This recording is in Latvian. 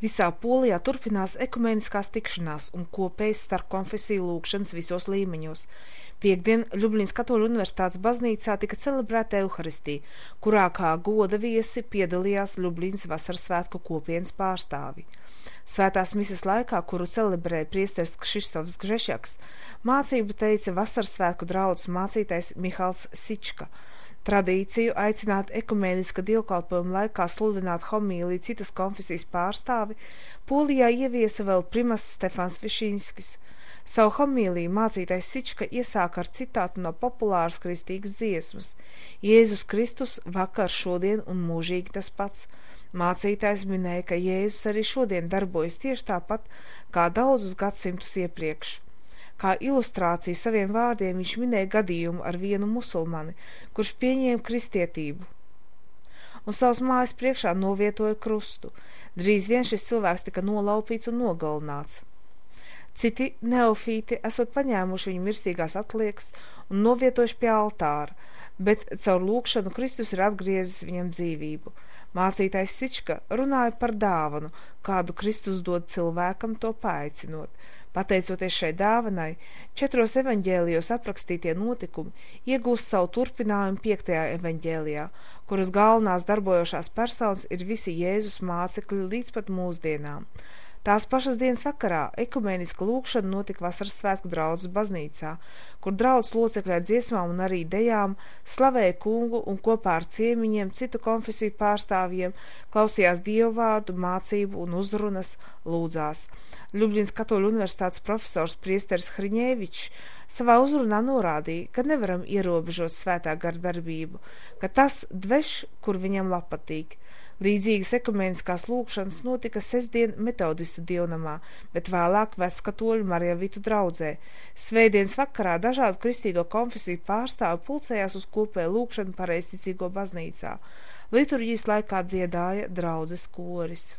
Visā Polijā turpinās ekumeniskās tikšanās un kopējas starpkonfesiju lūgšanas visos līmeņos. Piektdien Ļubļinas Katoļu universitātes baznīcā tika celebrēta Euharistija, kurā kā goda viesi piedalījās Ļubļinas vasaras svētku kopienas pārstāvi. Svētās mises laikā, kuru celebrēja priesteris Kšištofs Gžešaks, mācību teica vasaras svētku draudzes mācītājs Mihals Sička. Tradīciju aicināt ekumēniska dievkalpojuma laikā sludināt homīliju citas konfesijas pārstāvi Polijā ieviesa vēl primasts Stefans Višinskis. Savu homīliju mācītais Sička iesāka ar citātu no populāras kristīgas dziesmas: Jēzus Kristus vakar, šodien un mūžīgi tas pats. Mācītājs minēja, ka Jēzus arī šodien darbojas tieši tāpat kā daudzus gadsimtus iepriekš. Kā ilustrāciju saviem vārdiem viņš minēja gadījumu ar vienu musulmani, kurš pieņēma kristietību un savas mājas priekšā novietoja krustu. Drīz vien šis cilvēks tika nolaupīts un nogalināts. Citi neofīti esot paņēmuši viņu mirstīgās atliekas un novietojuši pie altāra, bet caur lūgšanu Kristus ir atgriezis viņam dzīvību. Mācītājs Sička runāja par dāvanu, kādu Kristus dod cilvēkam, to paaicinot. Pateicoties šai dāvanai, 4 evaņģēlijos aprakstītie notikumi iegūst savu turpinājumu 5. evaņģēlijā, kuras galvenās darbojošās personas ir visi Jēzus mācekļi līdz pat mūsdienām. Tās pašas dienas vakarā ekumēniska lūgšana notika vasaras svētku draudzes baznīcā, kur draudzes locekļi ar dziesmām un arī dejām slavēja kungu un kopā ar ciemiņiem citu konfesiju pārstāvjiem klausījās dievvvārdu, mācību un uzrunas, lūdzās. Ļubļinas Katoļu universitātes profesors priesteris Hriņēvičs savā uzrunā norādīja, ka nevaram ierobežot svētā gara darbību, ka tas dveš, kur viņam patīk. Līdzīgas ekumēniskās lūgšanas notika sestdien metodistu dievnamā, bet vēlāk Vecskatoļu Marjavitu draudzē. Svētdienas vakarā dažādu kristīgo konfesiju pārstāvi pulcējās uz kopēju lūgšanu pareizticīgo baznīcā. Liturģijas laikā dziedāja draudzes koris.